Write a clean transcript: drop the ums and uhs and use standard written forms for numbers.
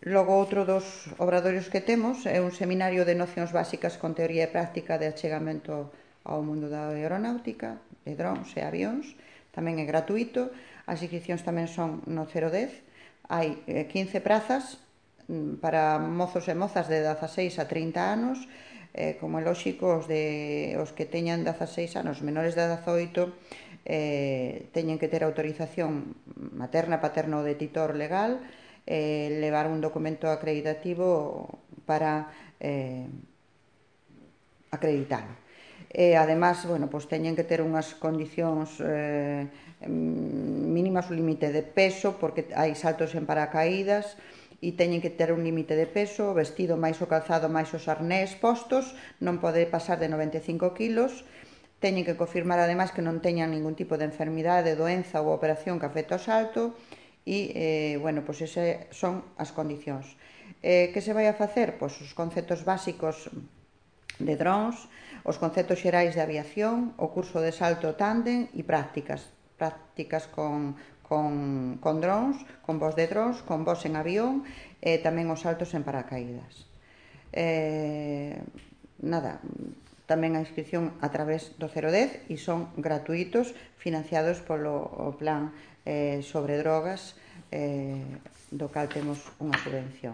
Logo, outro dos obradoiros que temos é un seminario de nocións básicas con teoría e práctica de achegamento ao mundo da aeronáutica, de drones e avións. Tamén é gratuito. As inscripcións tamén son no 010. Hai 15 prazas para mozos e mozas de 16 a 30 anos. Como é lóxico, os que teñan 16 anos, menores de 18, teñen que ter autorización materna, paterna ou de titor legal, levar un documento acreditativo para acreditalo. Además, teñen que ter unhas condicións mínimas, un límite de peso, porque hai saltos en paracaídas, e teñen que ter un límite de peso, o vestido máis o calzado máis os arnés postos, non pode pasar de 95 kilos, teñen que confirmar ademais que non teñan ningún tipo de enfermidade, doenza ou operación que afecte ao salto, e, esas son as condicións. Que se vai a facer? Pois os conceptos básicos de drones, os conceptos xerais de aviación, o curso de salto tándem e prácticas con drones, con voos de drones, con voos en avión e tamén os saltos en paracaídas. Tamén a inscripción a través do 010 e son gratuitos, financiados polo plan sobre drogas, do cal temos unha subvención.